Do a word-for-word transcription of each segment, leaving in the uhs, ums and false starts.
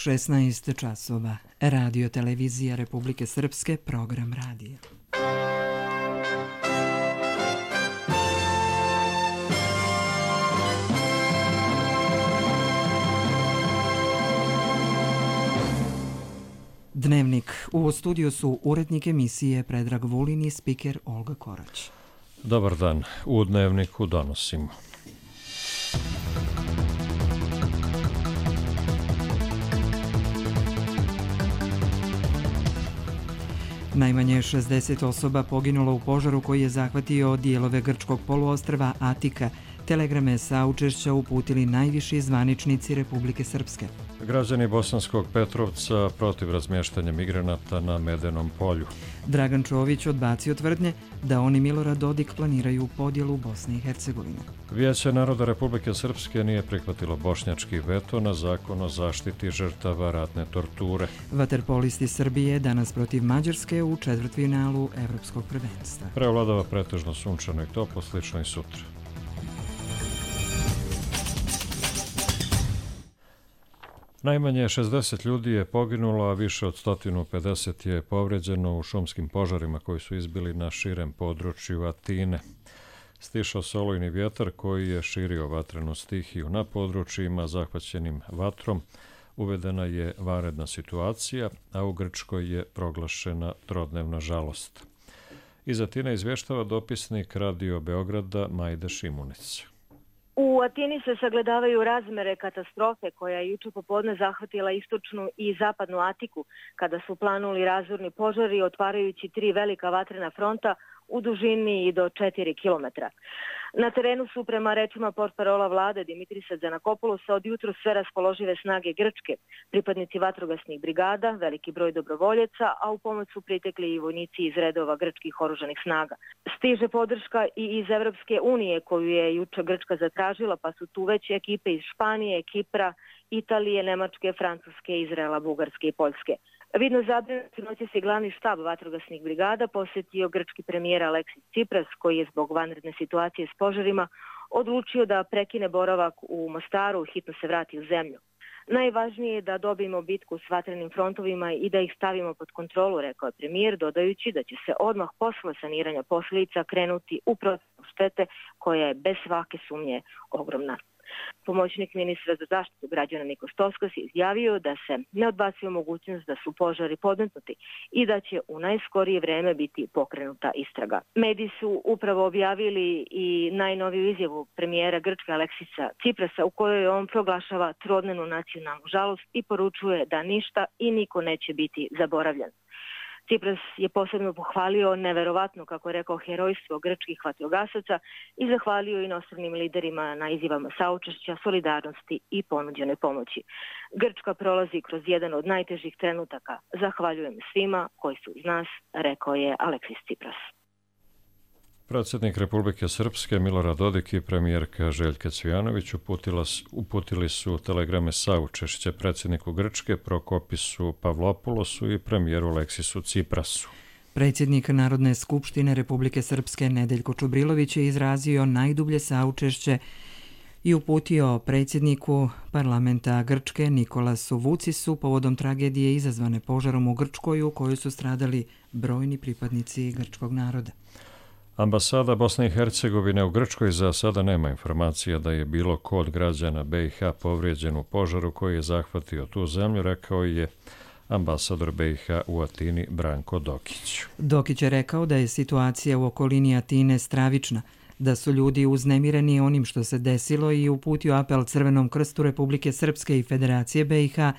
šesnaest časova. Radio televizija Republike Srpske, program radija. Dnevnik. U studiju su urednik emisije Predrag Vulin i spiker Olga Korać. Dobar dan. U Dnevniku donosimo. Najmanje šezdeset osoba poginulo u požaru koji je zahvatio dijelove grčkog poluostrva Atika. Telegrame saučešća uputili najviši zvaničnici Republike Srpske. Građani Bosanskog Petrovca protiv razmještanja migranata na Medenom polju. Dragan Čović odbacio tvrdnje da oni Milorad Dodik planiraju podjelu Bosne i Hercegovine. Vijeće naroda Republike Srpske nije prihvatilo bošnjački veto na zakon o zaštiti žrtava ratne torture. Vaterpolisti Srbije danas protiv Mađarske u četvrtfinalu Evropskog prvenstva. Preovladava pretežno sunčano i toplo, slično i sutra. Najmanje šezdeset ljudi je poginulo, a više od sto pedeset je povređeno u šumskim požarima koji su izbili na širem području Atine. Stišao se olujni vjetar koji je širio vatrenu stihiju na područjima zahvaćenim vatrom. Uvedena je vanredna situacija, a u Grčkoj je proglašena trodnevna žalost. Iz Atine izvještava dopisnik Radio Beograda Majda Šimunić. U Atini se sagledavaju razmere katastrofe koja je juče popodne zahvatila istočnu i zapadnu Atiku kada su planuli razorni požari otvarajući tri velika vatrena fronta u dužini i do četiri kilometra. Na terenu su, prema rečima portparola vlade Dimitrisa Giannakopoulosa, od jutro sve raspoložive snage Grčke, pripadnici vatrogasnih brigada, veliki broj dobrovoljeca, a u pomoć su pritekli i vojnici iz redova grčkih oružanih snaga. Stiže podrška i iz Evropske unije koju je juče Grčka zatražila, pa su tu već ekipe iz Španije, Kipra, Italije, Nemačke, Francuske, Izraela, Bugarske i Poljske. Vidno zabrinuti noći se glavni štab vatrogasnih brigada posjetio grčki premijer Aleksis Tsipras, koji je zbog vanredne situacije s požarima odlučio da prekine boravak u Mostaru, hitno se vrati u zemlju. Najvažnije je da dobijemo bitku s vatrenim frontovima i da ih stavimo pod kontrolu, rekao je premijer, dodajući da će se odmah posle saniranja posljedica krenuti u procjenu štete koja je bez svake sumnje ogromna. Pomoćnik ministra za zaštitu građana Nikos Toskos je izjavio da se ne odbacuje mogućnost da su požari podmetnuti i da će u najskorije vreme biti pokrenuta istraga. Mediji su upravo objavili i najnoviju izjavu premijera Grčke Aleksisa Tsiprasa u kojoj on proglašava trodnevnu nacionalnu žalost i poručuje da ništa i niko neće biti zaboravljen. Tsipras je posebno pohvalio neverovatno, kako je rekao, herojstvo grčkih vatrogasaca i zahvalio inostranim liderima na izjavama saučešća, solidarnosti i ponuđene pomoći. Grčka prolazi kroz jedan od najtežih trenutaka. Zahvaljujem svima koji su uz nas, rekao je Aleksis Tsipras. Predsjednik Republike Srpske Milorad Dodik i premijerka Željka Cvijanović uputili su telegrame saučešća predsjedniku Grčke Prokopisu Pavlopoulosu i premijeru Aleksisu Tsiprasu. Predsjednik Narodne skupštine Republike Srpske Nedeljko Čubrilović je izrazio najdublje saučešće i uputio predsjedniku parlamenta Grčke Nikolasu Vucisu povodom tragedije izazvane požarom u Grčkoj u kojoj su stradali brojni pripadnici grčkog naroda. Ambasada Bosne i Hercegovine u Grčkoj za sada nema informacija da je bilo ko od građana B i H povrijeđen u požaru koji je zahvatio tu zemlju, rekao je ambasador B i H u Atini Branko Dokić. Dokić je rekao da je situacija u okolini Atine stravična, da su ljudi uznemireni onim što se desilo i uputio apel Crvenom krstu Republike Srpske i Federacije B i H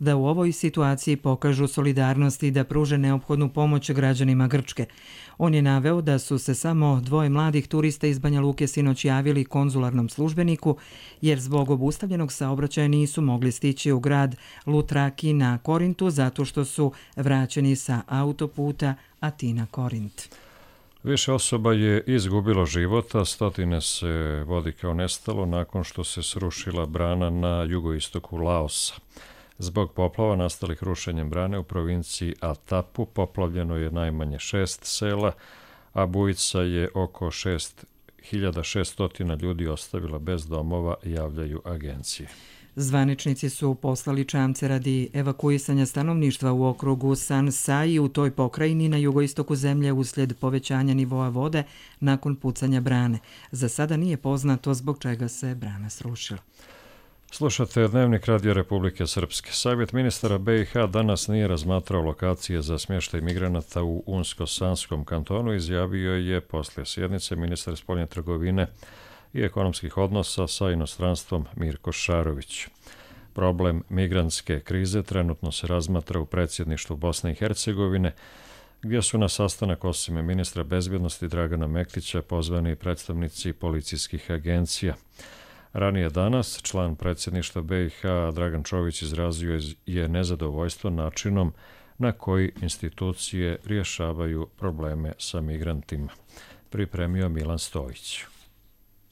da u ovoj situaciji pokažu solidarnost i da pruže neophodnu pomoć građanima Grčke. On je naveo da su se samo dvoje mladih turista iz Banja Luke sinoć javili konzularnom službeniku jer zbog obustavljenog saobraćaja nisu mogli stići u grad Lutraki na Korintu zato što su vraćeni sa autoputa Atina-Korint. Više osoba je izgubilo života, stotine se vodi kao nestalo nakon što se srušila brana na jugoistoku Laosa. Zbog poplava nastalih rušenjem brane u provinciji Atapu poplavljeno je najmanje šest sela, a bujica je oko šest hiljada šeststo ljudi ostavila bez domova, javljaju agencije. Zvaničnici su poslali čamce radi evakuisanja stanovništva u okrugu San Sai u toj pokrajini na jugoistoku zemlje uslijed povećanja nivoa vode nakon pucanja brane. Za sada nije poznato zbog čega se brana srušila. Slušate Dnevnik Radio Republike Srpske. Savjet ministara B i H danas nije razmatrao lokacije za smještaj migranata u Unsko-Sanskom kantonu, izjavio je poslije sjednice ministar spoljne trgovine i ekonomskih odnosa sa inostranstvom Mirko Šarović. Problem migrantske krize trenutno se razmatra u predsjedništvu Bosne i Hercegovine, gdje su na sastanak osim ministra bezbjednosti Dragana Mektića pozvani predstavnici policijskih agencija. Ranije danas član predsjedništva B i H Dragan Čović izrazio je nezadovoljstvo načinom na koji institucije rješavaju probleme sa migrantima. Pripremio Milan Stojić.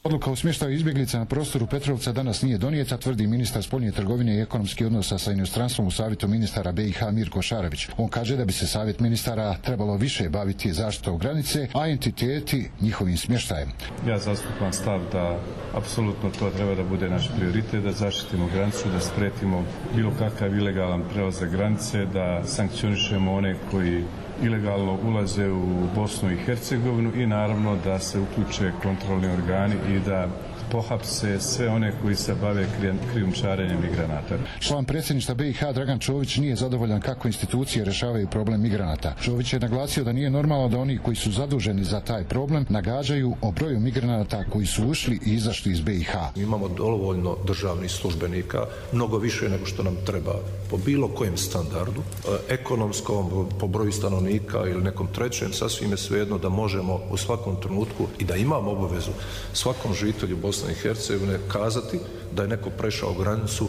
Odluka o smještaju izbjeglica na prostoru Petrovca danas nije donijeta, tvrdi ministar spoljne trgovine i ekonomskih odnosa sa inostranstvom u savjetu ministara B i H Mirko Šarović. On kaže da bi se savjet ministara trebalo više baviti zaštitom granice, a entiteti njihovim smještajem. Ja zastupam stav da apsolutno to treba da bude naš prioritet, da zaštitimo granicu, da spretimo bilo kakav ilegalan prelazak granice, da sankcionišemo one koji ilegalno ulaze u Bosnu i Hercegovinu i naravno da se uključe kontrolni organi i da pohapse sve one koji se bave krijumčarenjem migranata. Član predsjedništva B i H Dragan Čović nije zadovoljan kako institucije rješavaju problem migranata. Čović je naglasio da nije normalno da oni koji su zaduženi za taj problem nagađaju o broju migranata koji su ušli i izašli iz B i H. Imamo dovoljno državnih službenika, mnogo više nego što nam treba po bilo kojem standardu, ekonomskom, po broju stanovnika ili nekom trećem, sasvim je svejedno da možemo u svakom trenutku i da imamo obavezu svakom žitelju Bosne i Hercegovine kazati da je neko prešao granicu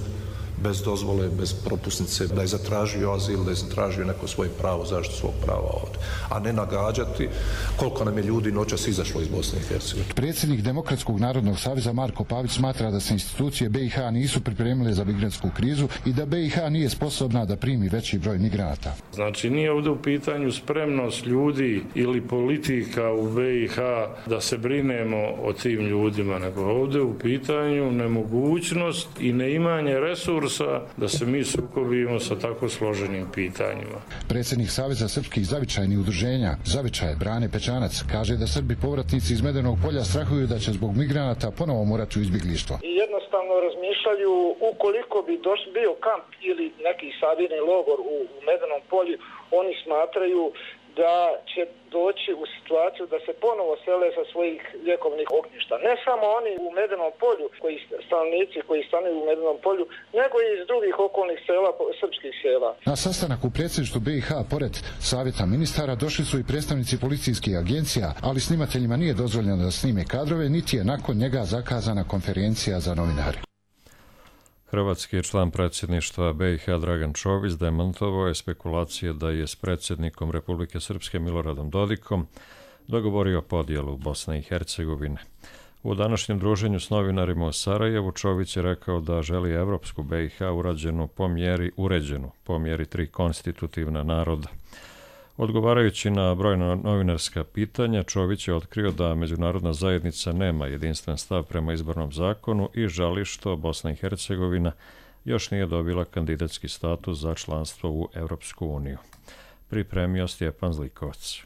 bez dozvole, bez propusnice, da je zatražio azil, da je zatražio neko svoje pravo, zaštitu svog prava ovdje, a ne nagađati koliko nam je ljudi noćas izašlo iz Bosne i Hercegovine. Predsjednik Demokratskog narodnog saveza Marko Pavić smatra da se institucije B i H nisu pripremile za migrantsku krizu i da B i H nije sposobna da primi veći broj migranata. Znači nije ovdje u pitanju spremnost ljudi ili politika u B i H da se brinemo o tim ljudima, nego ovdje u pitanju nemogućnost i neimanje resursa da se mi sukobimo sa tako složenim pitanjima. Predsjednik Saveza srpskih zavičajnih udruženja Zavičaj Brane Pečanac kaže da Srbi povratnici iz Medenog polja strahuju da će zbog migranata ponovo morati u izbjeglištvo. I jednostavno razmišljaju ukoliko bi doš, bio kamp ili neki sabirni logor u, u Medenom polju, oni smatraju da će doći u situaciju da se ponovo sele sa svojih ljekovnih ognjišta. Ne samo oni u Medenom polju, koji stanovnici koji stanuju u Medenom polju, nego i iz drugih okolnih sela, srpskih sela. Na sastanak u predsjedništvu B i H pored savjeta ministara došli su i predstavnici policijskih agencija, ali snimateljima nije dozvoljeno da snime kadrove, niti je nakon njega zakazana konferencija za novinare. Hrvatski član predsjedništva B i H Dragan Čović demantovao je spekulacije da je s predsjednikom Republike Srpske Miloradom Dodikom dogovorio podjelu Bosne i Hercegovine. U današnjem druženju s novinarima u Sarajevu Čović je rekao da želi evropsku B i H urađenu po mjeri, uređenu po mjeri tri konstitutivna naroda. Odgovarajući na brojna novinarska pitanja, Čović je otkrio da međunarodna zajednica nema jedinstven stav prema izbornom zakonu i žali što Bosna i Hercegovina još nije dobila kandidatski status za članstvo u Europsku uniju. Pripremio Stjepan Zlikovac.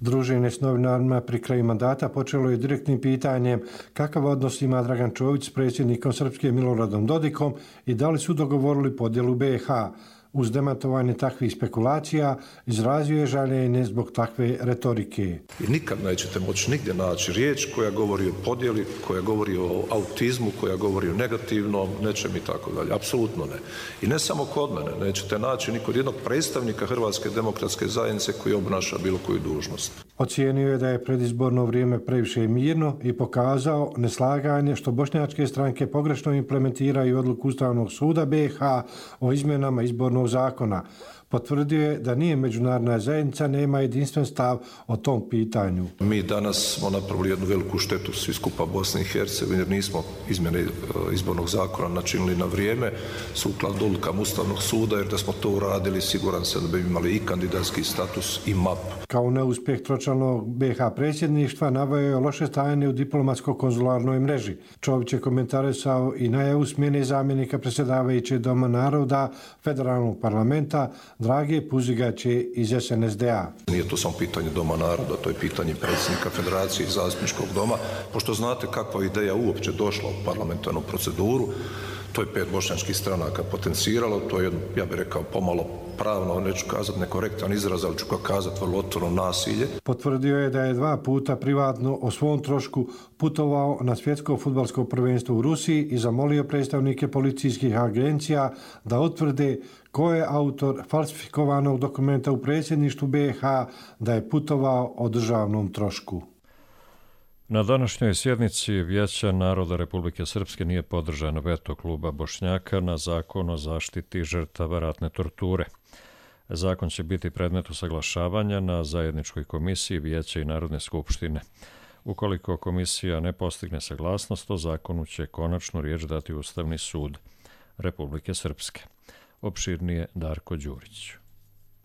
Druženje s novinarima pri kraju mandata počelo je direktnim pitanjem kakav odnos ima Dragan Čović s predsjednikom Srpske Miloradom Dodikom i da li su dogovorili podjelu B i H. Uz demantovanje takvih spekulacija izrazio je žaljenje zbog takve retorike. I nikad nećete moći nigdje naći riječ koja govori o podjeli, koja govori o autizmu, koja govori o negativnom, nečem i tako dalje. Apsolutno ne. I ne samo kod mene, nećete naći ni kod jednog predstavnika Hrvatske demokratske zajednice koji obnaša bilo koju dužnost. Ocijenio je da je predizborno vrijeme previše mirno i pokazao neslaganje što bošnjačke stranke pogrešno implementiraju odluku Ustavnog suda B i H o izmjenama izbornog zakona. Potvrdio je da nije međunarodna zajednica, nema jedinstven stav o tom pitanju. Mi danas smo napravili jednu veliku štetu svi skupa Bosne i Hercegovine jer nismo izmjene izbornog zakona načinili na vrijeme sukladno odlukama Ustavnog suda, jer da smo to uradili siguran sam da bi imali i kandidatski status i map. Kao neuspjeh tročlanog B i H predsjedništva naveo je loše stanje u diplomatsko-konzularnoj mreži. Čović je komentarisao i najavu smjene zamjenika predsjedavajućeg Doma naroda Federalnog parlamenta Drage Puzigaće iz S N S D A. Nije to samo pitanje Doma naroda, to je pitanje predsjednika Federacije i Zastupničkog doma. Pošto znate kakva ideja uopće došla u parlamentarnu proceduru, to je pet bošnjačkih stranaka potenciralo, to je, ja bih rekao, pomalo pravno, neću kazati nekorektan izraz, ali ću kazati vrlo otvoreno nasilje. Potvrdio je da je dva puta privatno o svom trošku putovao na svjetsko fudbalsko prvenstvo u Rusiji i zamolio predstavnike policijskih agencija da utvrde ko je autor falsifikovanog dokumenta u predsjedništvu B i H da je putovao o državnom trošku. Na današnjoj sjednici Vijeća naroda Republike Srpske nije podržano veto kluba Bošnjaka na zakon o zaštiti žrtava ratne torture. Zakon će biti predmet usaglašavanja na zajedničkoj komisiji Vijeća i Narodne skupštine. Ukoliko komisija ne postigne saglasnost, o zakonu će konačnu riječ dati Ustavni sud Republike Srpske. Opširnije Darko Đurić.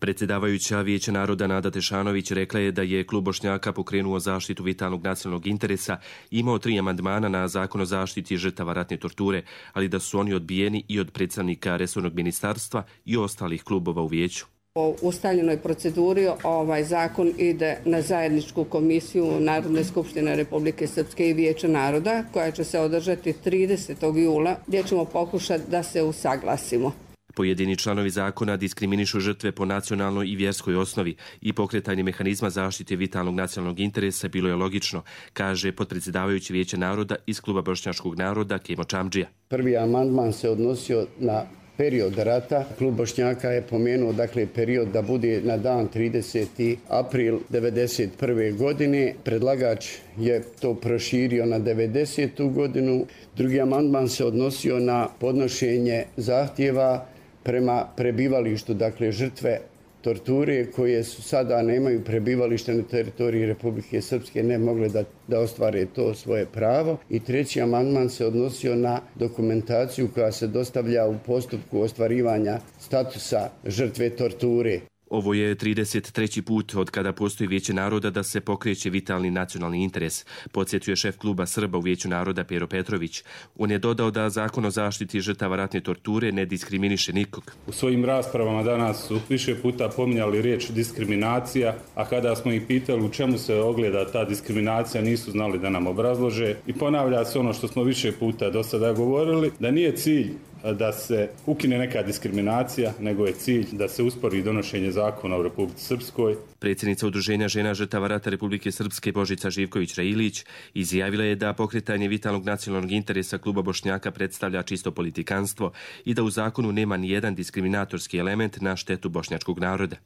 Predsjedavajuća Vijeća naroda Nada Tešanović rekla je da je klub Bošnjaka pokrenuo zaštitu vitalnog nacionalnog interesa i imao tri amandmana na zakon o zaštiti žrtava ratne torture, ali da su oni odbijeni i od predstavnika resornog ministarstva i ostalih klubova u vijeću. Po ustaljenoj proceduri ovaj zakon ide na zajedničku komisiju Narodne skupštine Republike Srpske i Vijeća naroda koja će se održati tridesetog jula gdje ćemo pokušati da se usaglasimo. Pojedini članovi zakona diskriminišu žrtve po nacionalnoj i vjerskoj osnovi i pokretanje mehanizma zaštite vitalnog nacionalnog interesa bilo je logično, kaže potpredsjedavajući Vijeća naroda iz kluba Bošnjačkog naroda Kemo Čamdžija. Prvi amandman se odnosio na period rata. Klub Bošnjaka je pomenuo dakle period da bude na dan trideseti april devedeset prve. godine. Predlagač je to proširio na devedesetu godinu. Drugi amandman se odnosio na podnošenje zahtjeva prema prebivalištu, dakle žrtve torture koje su sada nemaju prebivalište na teritoriji Republike Srpske, ne mogle da, da ostvare to svoje pravo. I treći amandman se odnosio na dokumentaciju koja se dostavlja u postupku ostvarivanja statusa žrtve torture. Ovo je trideset treći put od kada postoji Vijeće naroda da se pokreće vitalni nacionalni interes, podsjetio je šef kluba Srba u Vijeću naroda Pero Petrović. On je dodao da zakon o zaštiti žrtava ratne torture ne diskriminiše nikog. U svojim raspravama danas su više puta pominjali riječ diskriminacija, a kada smo ih pitali u čemu se ogleda ta diskriminacija, nisu znali da nam obrazlože. I ponavlja se ono što smo više puta do sada govorili, da nije cilj da se ukine neka diskriminacija, nego je cilj da se uspori donošenje zakona u Republici Srpskoj. Predsjednica Udruženja žena žrtava rata Republike Srpske Božica Živković-Railić izjavila je da pokretanje vitalnog nacionalnog interesa kluba Bošnjaka predstavlja čisto politikanstvo i da u zakonu nema ni jedan diskriminatorski element na štetu bošnjačkog naroda.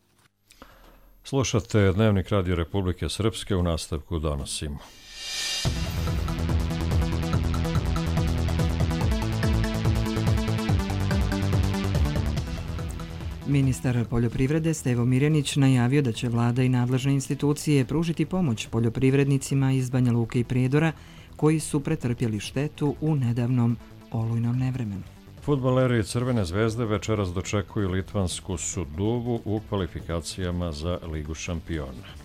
Slušate Dnevnik Radio Republike Srpske, u nastavku donosimo. Ministar poljoprivrede Stevo Mirjanić najavio da će vlada i nadležne institucije pružiti pomoć poljoprivrednicima iz Banja Luke i Prijedora koji su pretrpjeli štetu u nedavnom olujnom nevremenu. Fudbaleri Crvene zvezde večeras dočekuju litvansku Suduvu u kvalifikacijama za Ligu šampiona.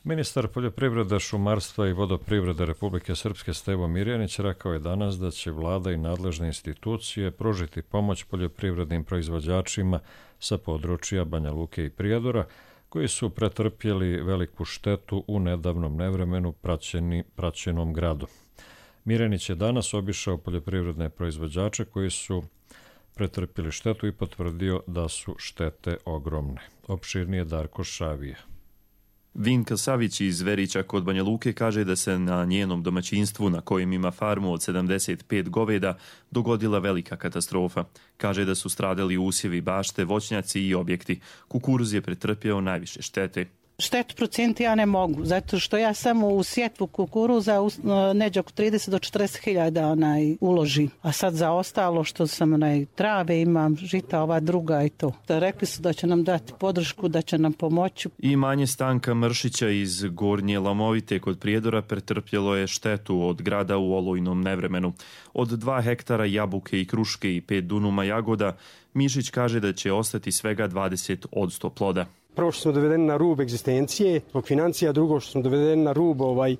Ministar poljoprivrede, šumarstva i vodoprivrede Republike Srpske Stevo Mirjanić rekao je danas da će vlada i nadležne institucije pružiti pomoć poljoprivrednim proizvođačima sa područja Banja Luke i Prijedora koji su pretrpjeli veliku štetu u nedavnom nevremenu praćeni, praćenom gradu. Mirjanić je danas obišao poljoprivredne proizvođače koji su pretrpjeli štetu i potvrdio da su štete ogromne. Opširnije Darko Šavija. Vinka Savić iz Verića kod Banja Luke kaže da se na njenom domaćinstvu, na kojem ima farmu od sedamdeset pet goveda, dogodila velika katastrofa. Kaže da su stradali usjevi, bašte, voćnjaci i objekti. Kukuruz je pretrpjeo najviše štete. Štetu procijeniti ja ne mogu, zato što ja samo u sjetvu kukuruza neđe oko trideset do četrdeset hiljada onaj uloži. A sad za ostalo što sam onaj trave imam, žita ova druga i to. Rekli su da će nam dati podršku, da će nam pomoći. I manje Stanka Mršića iz Gornje Lamovite kod Prijedora pretrpjelo je štetu od grada u olujnom nevremenu. Od dva hektara jabuke i kruške i pet dunuma jagoda, Mišić kaže da će ostati svega dvadeset odsto ploda. Prvo što smo dovedeni na rub egzistencije, zbog financija, drugo što smo dovedeni na rub, ovaj,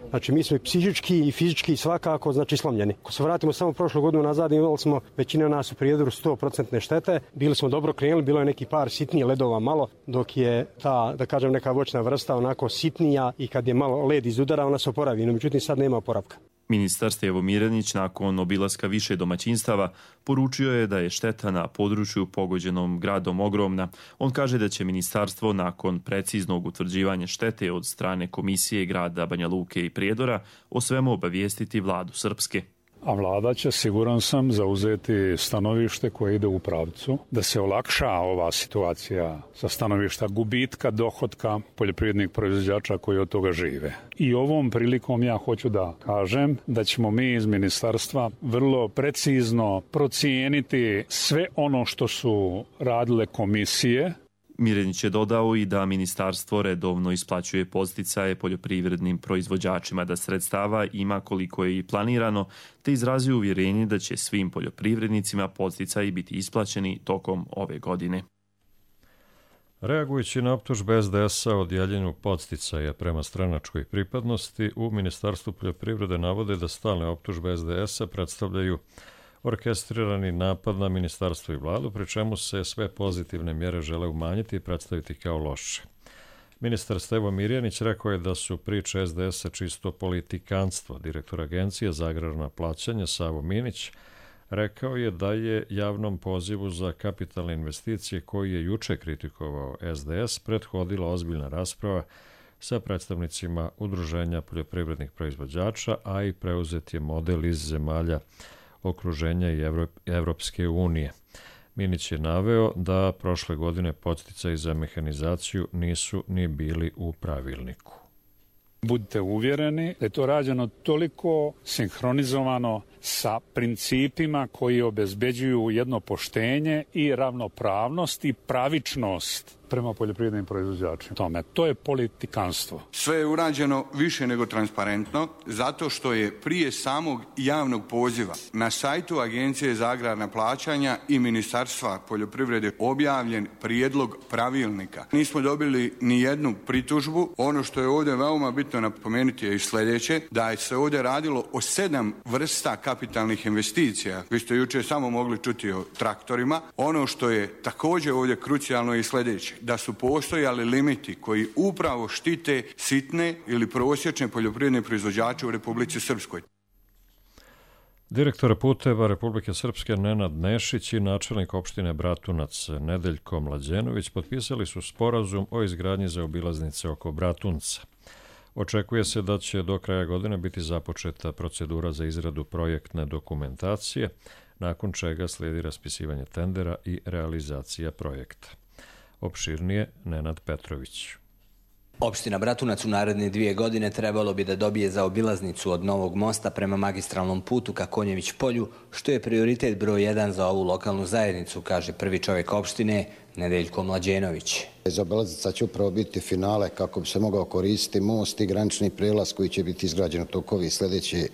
znači mi smo i psihički i fizički svakako znači slomljeni. Ako se vratimo samo prošlu godinu nazad, imali smo većina nas u Prijedoru sto posto štete, bili smo dobro krenuli, bilo je neki par sitnije ledova malo, dok je ta, da kažem, neka voćna vrsta onako sitnija i kad je malo led izudara, ona se oporavi, no međutim sad nema oporavka. Ministar Stevo Mirenić nakon obilaska više domaćinstava poručio je da je šteta na području pogođenom gradom ogromna. On kaže da će ministarstvo nakon preciznog utvrđivanja štete od strane komisije grada Banja Luke i Prijedora o svemu obavijestiti vladu Srpske. A vlada će, siguran sam, zauzeti stanovište koje ide u pravcu da se olakša ova situacija sa stanovišta gubitka dohotka poljoprivrednih proizvođača koji od toga žive. I ovom prilikom ja hoću da kažem da ćemo mi iz ministarstva vrlo precizno procijeniti sve ono što su radile komisije. Mirenić je dodao i da ministarstvo redovno isplaćuje podsticaje poljoprivrednim proizvođačima, da sredstava ima koliko je i planirano, te izrazio uvjerenje da će svim poljoprivrednicima podsticaji biti isplaćeni tokom ove godine. Reagujući na optužbe es de es-a o dijeljenju podsticaja prema stranačkoj pripadnosti, u Ministarstvu poljoprivrede navode da stalne optužbe es de es-a predstavljaju orkestrirani napad na ministarstvo i vladu, pri čemu se sve pozitivne mjere žele umanjiti i predstaviti kao loše. Ministar Stevo Mirjanić rekao je da su priče es de es-a čisto politikanstvo. Direktor Agencije za agrarna plaćanja Savo Minić rekao je da je javnom pozivu za kapitalne investicije koji je juče kritikovao es de es prethodila ozbiljna rasprava sa predstavnicima udruženja poljoprivrednih proizvođača, a i preuzet je model iz zemalja okruženja i Evropske unije. Minić je naveo da prošle godine podsticaji za mehanizaciju nisu ni bili u pravilniku. Budite uvjereni da je to rađeno toliko sinhronizovano sa principima koji obezbeđuju jedno poštenje i ravnopravnost i pravičnost prema poljoprivrednim proizvođačima. Tome, to je politikanstvo. Sve je urađeno više nego transparentno, zato što je prije samog javnog poziva na sajtu Agencije za agrarna plaćanja i Ministarstva poljoprivrede objavljen prijedlog pravilnika. Nismo dobili ni jednu pritužbu. Ono što je ovdje veoma bitno napomenuti je i sljedeće, da se ovdje radilo o sedam vrsta kapitalnih investicija. Vi ste jučer samo mogli čuti o traktorima. Ono što je također ovdje krucijalno i sljedeće, da su postojali limiti koji upravo štite sitne ili prosječne poljoprivredne proizvođače u Republici Srpskoj. Direktor puteva Republike Srpske Nenad Nešić i načelnik opštine Bratunac Nedeljko Mlađenović potpisali su sporazum o izgradnji zaobilaznice oko Bratunca. Očekuje se da će do kraja godine biti započeta procedura za izradu projektne dokumentacije, nakon čega slijedi raspisivanje tendera i realizacija projekta. Opširnije Nenad Petrović. Opština Bratunac u naredne dvije godine trebalo bi da dobije zaobilaznicu od Novog mosta prema magistralnom putu ka Konjević polju, što je prioritet broj jedan za ovu lokalnu zajednicu, kaže prvi čovjek opštine Nedeljko Mlađenović. Zaobilaznica će upravo biti finale kako bi se mogao koristiti most i granični prijelaz koji će biti izgrađen u toku ove sljedeće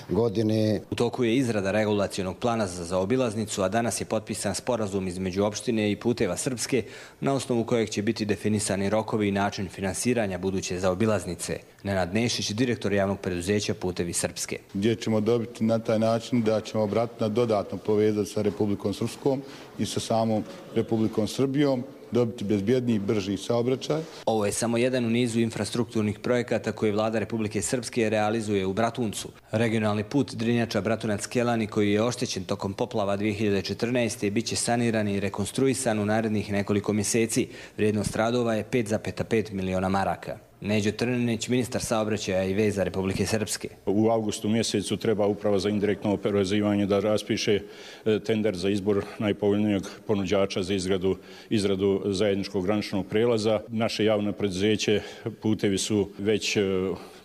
godine. U toku je izrada regulacionog plana za zaobilaznicu, a danas je potpisan sporazum između opštine i Puteva Srpske, na osnovu kojeg će biti definisani rokovi i način finansiranja buduće zaobilaznice. Nenad Nešić, direktor javnog preduzeća Putevi Srpske. Gdje ćemo dobiti na taj način da ćemo Bratunac dodatno povezati sa Republikom Srpskom i sa samom Republikom Srbijom, dobiti bezbjedniji i brži saobraćaj. Ovo je samo jedan u nizu infrastrukturnih projekata koje vlada Republike Srpske realizuje u Bratuncu. Regionalni put Drinjača-Bratunac-Kelani, koji je oštećen tokom poplava dvije hiljade četrnaeste. bit će saniran i rekonstruisan u narednih nekoliko mjeseci. Vrijednost radova je pet zarez pet miliona maraka. Neđo Trninić, ministar saobraćaja i veza Republike Srpske. U avgustu mjesecu treba Uprava za indirektno oporezivanje da raspiše tender za izbor najpovoljnijeg ponuđača za izradu, izradu zajedničkog graničnog prelaza. Naše javno preduzeće Putevi su već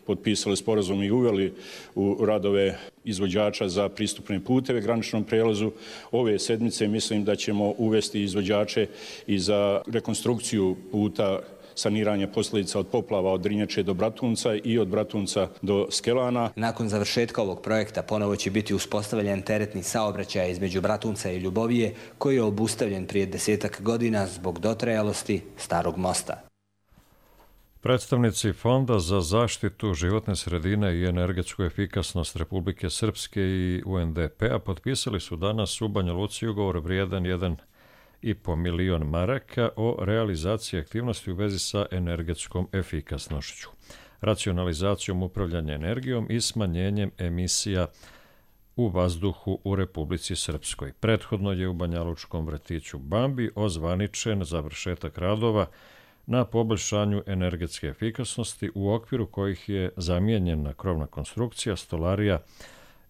potpisali sporazum i uveli u radove izvođača za pristupne puteve graničnom prelazu. Ove sedmice mislim da ćemo uvesti izvođače i za rekonstrukciju puta saniranja posljedica od poplava od Drinjače do Bratunca i od Bratunca do Skelana. Nakon završetka ovog projekta ponovo će biti uspostavljen teretni saobraćaj između Bratunca i Ljubovije, koji je obustavljen prije desetak godina zbog dotrajalosti starog mosta. Predstavnici Fonda za zaštitu životne sredine i energetsku efikasnost Republike Srpske i U N D P-a potpisali su danas u Banja Luci ugovor vrijedan jedan i po milion maraka o realizaciji aktivnosti u vezi sa energetskom efikasnošću, racionalizacijom upravljanja energijom i smanjenjem emisija u vazduhu u Republici Srpskoj. Prethodno je u banjalučkom vrtiću Bambi ozvaničen završetak radova na poboljšanju energetske efikasnosti u okviru kojih je zamijenjena krovna konstrukcija, stolarija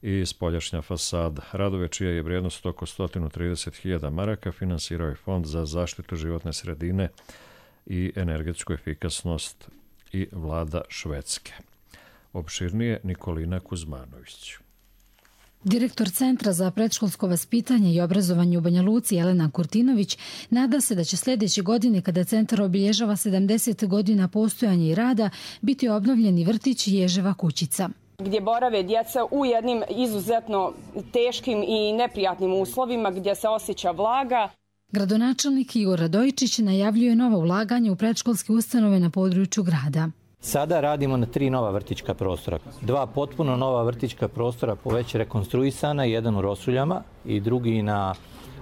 i spoljašnja fasada. Radove čija je vrijednost oko sto trideset hiljada maraka finansirao je Fond za zaštitu životne sredine i energetsku efikasnost i vlada Švedske. Opširnije Nikolina Kuzmanović. Direktor Centra za predškolsko vaspitanje i obrazovanje u Banja Luci Jelena Kurtinović nada se da će sljedeće godine, kada centar obilježava sedamdeset godina postojanja i rada, biti obnovljeni vrtić Ježeva kućica, gdje borave djeca u jednim izuzetno teškim i neprijatnim uslovima, gdje se osjeća vlaga. Gradonačelnik Igor Radojičić najavljuje nova ulaganja u predškolske ustanove na području grada. Sada radimo na tri nova vrtićka prostora. Dva potpuno nova vrtićka prostora već rekonstruisana, jedan u Rosuljama i drugi na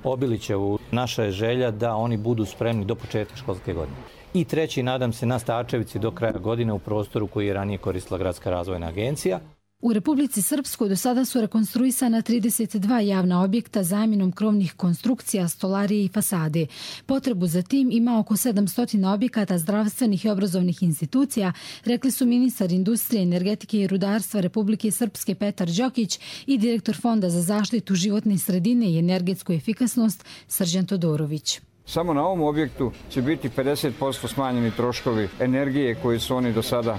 Obilićevu. Naša je želja da oni budu spremni do početka školske godine. I treći, nadam se, na Stačevici do kraja godine u prostoru koji je ranije koristila Gradska razvojna agencija. U Republici Srpskoj do sada su rekonstruisana trideset dva javna objekta zamjenom krovnih konstrukcija, stolarije i fasade. Potrebu za tim ima oko sedamsto objekata zdravstvenih i obrazovnih institucija, rekli su ministar industrije, energetike i rudarstva Republike Srpske Petar Đokić i direktor Fonda za zaštitu životne sredine i energetsku efikasnost Srđan Todorović. Samo na ovom objektu će biti pedeset posto smanjeni troškovi energije koji su oni do sada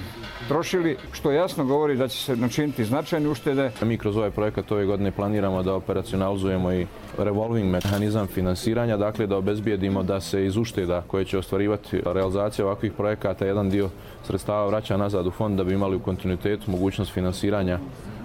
trošili, što jasno govori da će se načiniti značajne uštede. Mi kroz ovaj projekat ove godine planiramo da operacionalizujemo i revolving mehanizam finansiranja, dakle da obezbijedimo da se iz ušteda koje će ostvarivati realizacija ovakvih projekata jedan dio sredstava vraća nazad u fond da bi imali u kontinuitetu mogućnost finansiranja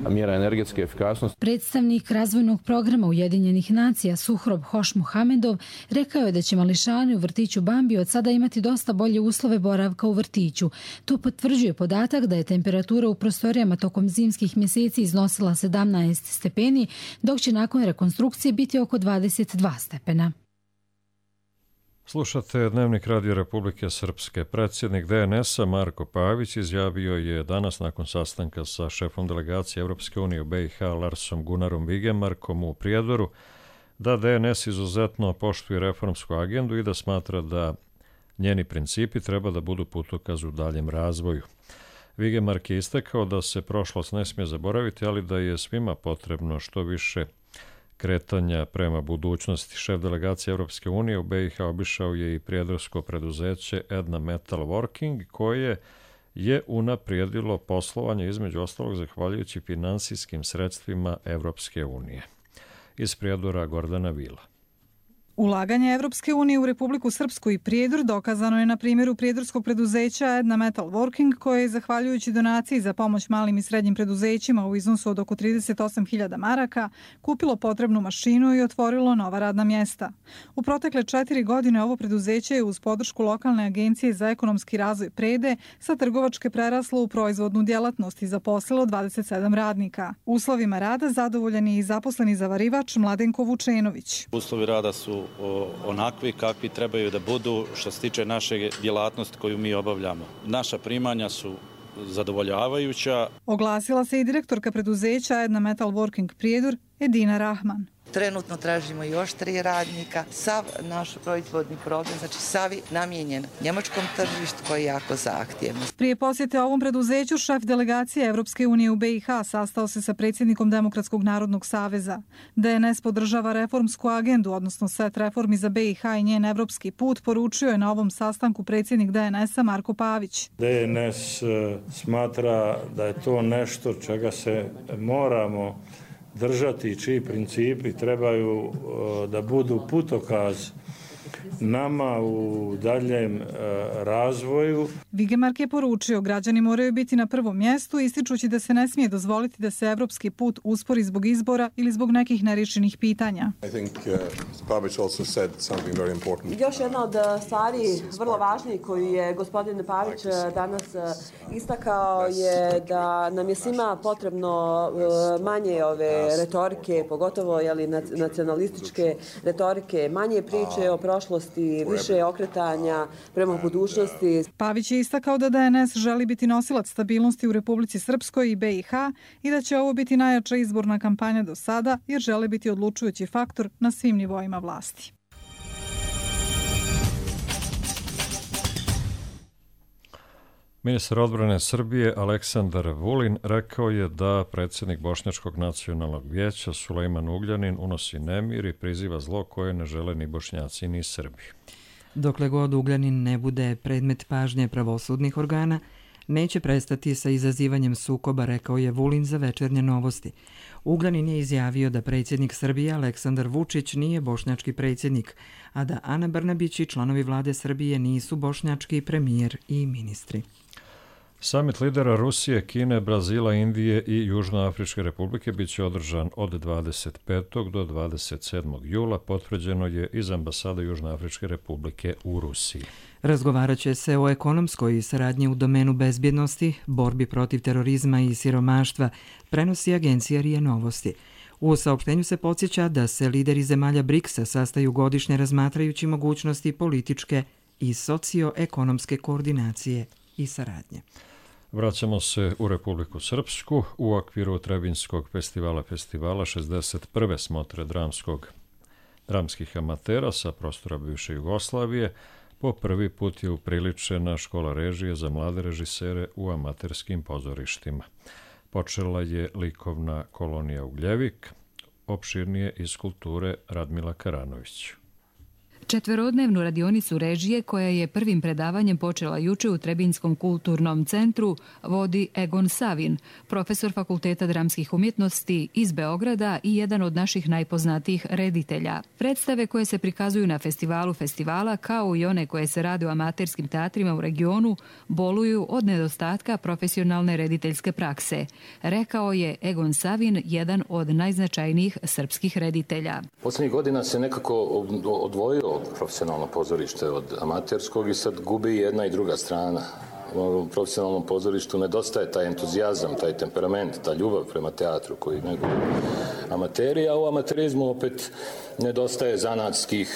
mjera energetske efikasnosti. Predstavnik razvojnog programa Ujedinjenih nacija Suhrob Hoš Muhamedov rekao je da će mališani u vrtiću Bambi od sada imati dosta bolje uslove boravka u vrtiću. To potvrđuje podatak da je temperatura u prostorijama tokom zimskih mjeseci iznosila sedamnaest stepeni, dok će nakon rekonstrukcije biti oko dvadeset dva stepena. Slušate Dnevnik Radio Republike Srpske. Predsjednik D N S-a Marko Pavić izjavio je danas nakon sastanka sa šefom delegacije Evropske unije u B i H Larsom Gunarom Vigemarkom u Prijedoru da D N S izuzetno poštuje reformsku agendu i da smatra da njeni principi treba da budu putokaz u daljem razvoju. Vigemark je istakao da se prošlost ne smije zaboraviti, ali da je svima potrebno što više kretanja prema budućnosti. Šef delegacije Evropske unije u B i H obišao je i prijedorsko preduzeće Edna Metal Working, koje je unaprijedilo poslovanje između ostalog zahvaljujući finansijskim sredstvima Evropske unije. Iz Prijedora Gordana Vila. Ulaganje Evropske unije u Republiku Srpsku i Prijedor dokazano je na primjeru prijedorskog preduzeća Edna Metal Working, koje je, zahvaljujući donaciji za pomoć malim i srednjim preduzećima u iznosu od oko trideset osam hiljada maraka, kupilo potrebnu mašinu i otvorilo nova radna mjesta. U protekle četiri godine ovo preduzeće je uz podršku lokalne agencije za ekonomski razvoj Prede sa trgovačke preraslo u proizvodnu djelatnost i zaposlilo dvadeset sedam radnika. Uslovima rada zadovoljan je i zaposleni zavarivač Mladenko Vučenović. Uslovi rada su onakvi kakvi trebaju da budu što se tiče naše djelatnosti koju mi obavljamo. Naša primanja su zadovoljavajuća. Oglasila se i direktorka preduzeća Edna Metal Working Prijedor Edina Rahman. Trenutno tražimo još tri radnika. Sav naš proizvodni program, znači sav namijenjen njemačkom tržištu koji je jako zahtjevno. Prije posjete ovom preduzeću, šef delegacije Evropske unije u B i H sastao se sa predsjednikom Demokratskog narodnog saveza. D N S podržava reformsku agendu, odnosno set reformi za B i H i njen evropski put, poručio je na ovom sastanku predsjednik D N S-a Marko Pavić. D N S smatra da je to nešto čega se moramo držati, čiji principi trebaju da budu putokaz nama u daljem razvoju. Vigemark je poručio, građani moraju biti na prvom mjestu, ističući da se ne smije dozvoliti da se evropski put uspori zbog izbora ili zbog nekih neriješenih pitanja. Još jedna od stvari vrlo važnijih koju je gospodin Pavić danas istakao je da nam je svima potrebno manje ove retorike, pogotovo jeli, nacionalističke retorike, manje priče o prošlosti, više okretanja prema budućnosti. Pavić je istakao da D N S želi biti nosilac stabilnosti u Republici Srpskoj i B i H i da će ovo biti najjača izborna kampanja do sada jer žele biti odlučujući faktor na svim nivoima vlasti. Ministar odbrane Srbije Aleksandar Vulin rekao je da predsjednik Bošnjačkog nacionalnog vijeća Sulejman Ugljanin unosi nemir i priziva zlo koje ne žele ni Bošnjaci ni Srbi. Dokle god Ugljanin ne bude predmet pažnje pravosudnih organa, neće prestati sa izazivanjem sukoba, rekao je Vulin za Večernje novosti. Ugljanin je izjavio da predsjednik Srbije Aleksandar Vučić nije bošnjački predsjednik, a da Ana Brnabić i članovi vlade Srbije nisu bošnjački premijer i ministri. Samit lidera Rusije, Kine, Brazila, Indije i Južnoafričke republike bit će održan od dvadeset petog do dvadeset sedmog jula, potvrđeno je iz ambasade Južnoafričke republike u Rusiji. Razgovarat će se o ekonomskoj saradnji u domenu bezbjednosti, borbi protiv terorizma i siromaštva, prenosi agencija R I A Novosti. U saopštenju se podsjeća da se lideri zemalja briksa sastaju godišnje razmatrajući mogućnosti političke i socioekonomske koordinacije i saradnje. Vraćamo se u Republiku Srpsku. U okviru Trebinskog festivala festivala šezdeset prve smotre dramskog, dramskih amatera sa prostora bivše Jugoslavije po prvi put je upriličena škola režije za mlade režisere u amaterskim pozorištima. Počela je likovna kolonija Ugljevik, opširnije iz kulture Radmila Karanović. Četverodnevnu radionicu režije, koja je prvim predavanjem počela juče u Trebinskom kulturnom centru, vodi Egon Savin, profesor Fakulteta dramskih umjetnosti iz Beograda i jedan od naših najpoznatijih reditelja. Predstave koje se prikazuju na festivalu festivala, kao i one koje se rade u amaterskim teatrima u regionu, boluju od nedostatka profesionalne rediteljske prakse, rekao je Egon Savin, jedan od najznačajnijih srpskih reditelja. Posljednjih godina se nekako odvojio profesionalno pozorište od amaterskog i sad gubi jedna i druga strana. U profesionalnom pozorištu nedostaje taj entuzijazam, taj temperament, ta ljubav prema teatru koji neguju amateri, a u amaterizmu opet nedostaje zanatskih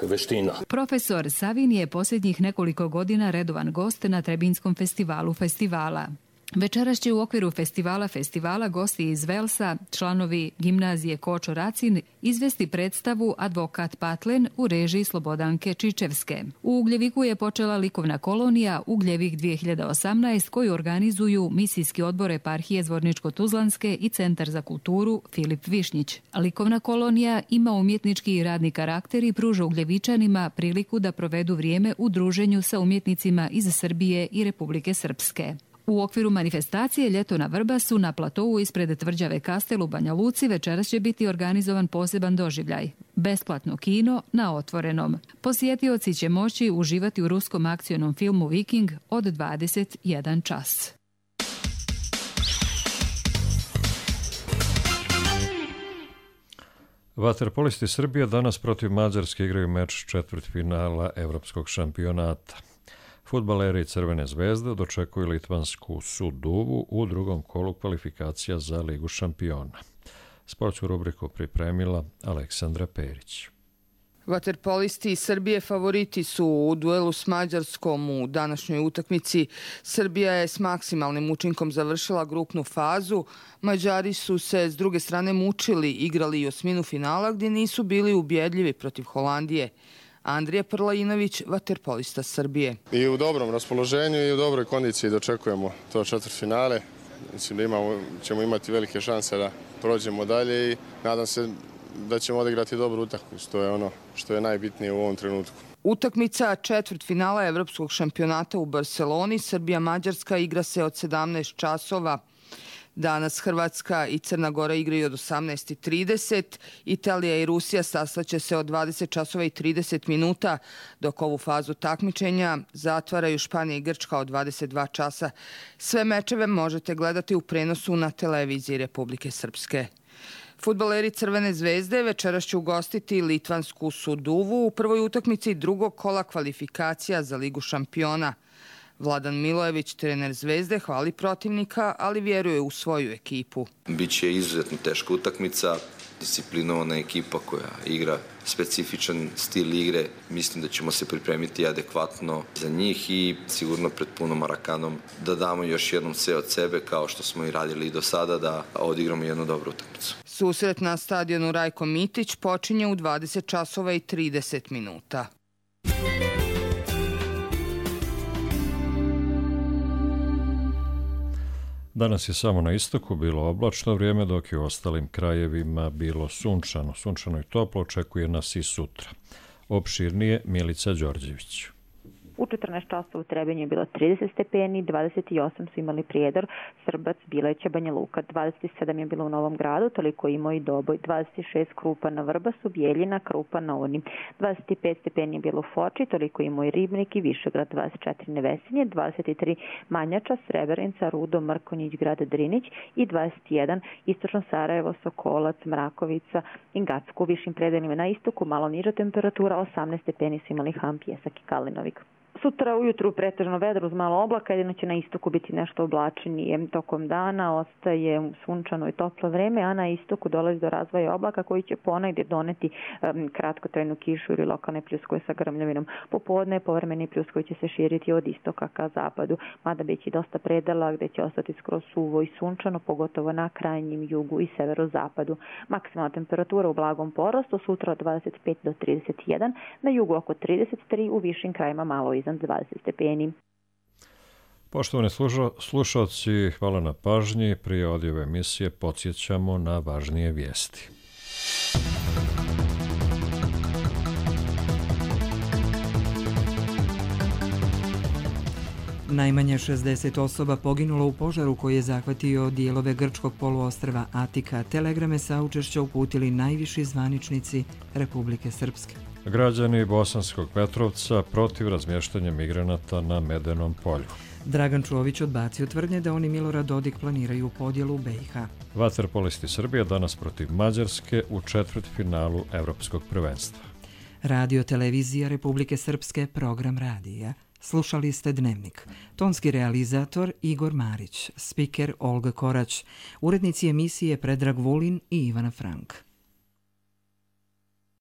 veština. Profesor Savin je posljednjih nekoliko godina redovan gost na Trebinskom festivalu festivala. Večeras će u okviru festivala festivala gosti iz Velsa, članovi gimnazije Kočo Racin, izvesti predstavu Advokat Patlen u režiji Slobodanke Čičevske. U Ugljeviku je počela likovna kolonija Ugljevik dvije hiljade osamnaest koju organizuju misijski odbor eparhije Zvorničko-Tuzlanske i Centar za kulturu Filip Višnjić. Likovna kolonija ima umjetnički i radni karakter i pruža Ugljevičanima priliku da provedu vrijeme u druženju sa umjetnicima iz Srbije i Republike Srpske. U okviru manifestacije Ljeto na Vrbasu na platovu ispred tvrđave Kastel u Banja Luci večeras će biti organizovan poseban doživljaj. Besplatno kino na otvorenom. Posjetioci će moći uživati u ruskom akcionom filmu Viking od dvadeset jedan čas. Vaterpolisti Srbije danas protiv Mađarske igraju meč četvrtfinala Evropskog šampionata. Fudbaleri Crvene zvezde dočekuju litvansku Suduvu u drugom kolu kvalifikacija za Ligu šampiona. Sportsku rubriku pripremila Aleksandra Perić. Vaterpolisti Srbije favoriti su u duelu s Mađarskom u današnjoj utakmici. Srbija je s maksimalnim učinkom završila grupnu fazu. Mađari su se s druge strane mučili, igrali i osminu finala gdje nisu bili ubjedljivi protiv Holandije. Andrija Prlajinović, vaterpolista Srbije. I u dobrom raspoloženju i u dobroj kondiciji dočekujemo to četvrtfinale. Mislim da imamo, ćemo imati velike šanse da prođemo dalje i nadam se da ćemo odigrati dobru utakmicu. To je ono što je najbitnije u ovom trenutku. Utakmica četvrtfinala Evropskog šampionata u Barceloni, Srbija-Mađarska, igra se od sedamnaest časova. Danas Hrvatska i Crna Gora igraju od osamnaest i trideset. Italija i Rusija sastaće se od dvadeset časova i trideset minuta, dok ovu fazu takmičenja zatvaraju Španija i Grčka od dvadeset dva časa. Sve mečeve možete gledati u prenosu na televiziji Republike Srpske. Fudbaleri Crvene zvezde večeras će ugostiti litvansku Suduvu u prvoj utakmici drugog kola kvalifikacija za Ligu šampiona. Vladan Milojević, trener Zvezde, hvali protivnika, ali vjeruje u svoju ekipu. Biće izuzetno teška utakmica, disciplinovana ekipa koja igra specifičan stil igre. Mislim da ćemo se pripremiti adekvatno za njih i sigurno pred punom Marakanom da damo još jednom sve od sebe, kao što smo i radili i do sada, da odigramo jednu dobru utakmicu. Susret na stadionu Rajko Mitić počinje u dvadeset časova i trideset minuta. Danas je samo na istoku bilo oblačno vrijeme, dok je u ostalim krajevima bilo sunčano. Sunčano i toplo očekuje nas i sutra. Opširnije Milica Đorđević. U četrnaest časova u Trebinju je bilo trideset stepeni, dvadeset osam su imali Prijedor, Srbac, Bileća, Banja Luka, dvadeset sedam je bilo u Novom Gradu, toliko imao i Doboj, dvadeset šest Krupa na Vrbasu, Bijeljina, Krupa na Uni, dvadeset pet stepeni je bilo u Foči, toliko imao i Ribnik i Višegrad, dvadeset četiri Nevesinje, dvadeset tri Manjača, Srebrenica, Rudo, Mrkonjić, Grad Drinić i dvadeset jedan Istočno Sarajevo, Sokolac, Mrakovica i Gacko. U višim predelima na istoku malo niža temperatura, osamnaest stepeni su imali Ham, Pjesak i Kalinovik. Sutra ujutru pretežno vedro uz malo oblaka, jedino će na istoku biti nešto oblačenije tokom dana, ostaje sunčano i toplo vreme, a na istoku dolazi do razvoja oblaka koji će ponegdje doneti um, kratkotrajnu kišu ili lokalne pljuskove sa grmljavinom. Popodne povremeni pljuskovi će se širiti od istoka ka zapadu, mada biće dosta predela gdje će ostati skroz suvo i sunčano, pogotovo na krajnjim jugu i severozapadu. Maksimalna temperatura u blagom porastu, sutra od dvadeset pet do trideset jedan, na jugu oko trideset tri, u višim krajima malo iznad dvadeset stepeni. Poštovani slušalci, hvala na pažnji. Prije odjave emisije podsjećamo na važnije vijesti. Najmanje šezdeset osoba poginulo u požaru koji je zahvatio dijelove grčkog poluostrva Atika. Telegrame saučešća uputili najviši zvaničnici Republike Srpske. Građani Bosanskog Petrovca protiv razmještanja migranata na Medenom polju. Dragan Čović odbacio tvrdnje da oni Milorad Dodik planiraju podjelu B i H. Vaterpolisti Srbije danas protiv Mađarske u četvrtfinalu Evropskog prvenstva. Radio televizija Republike Srpske, program radija. Slušali ste Dnevnik. Tonski realizator Igor Marić, spiker Olga Korać, urednici emisije Predrag Vulin i Ivana Frank.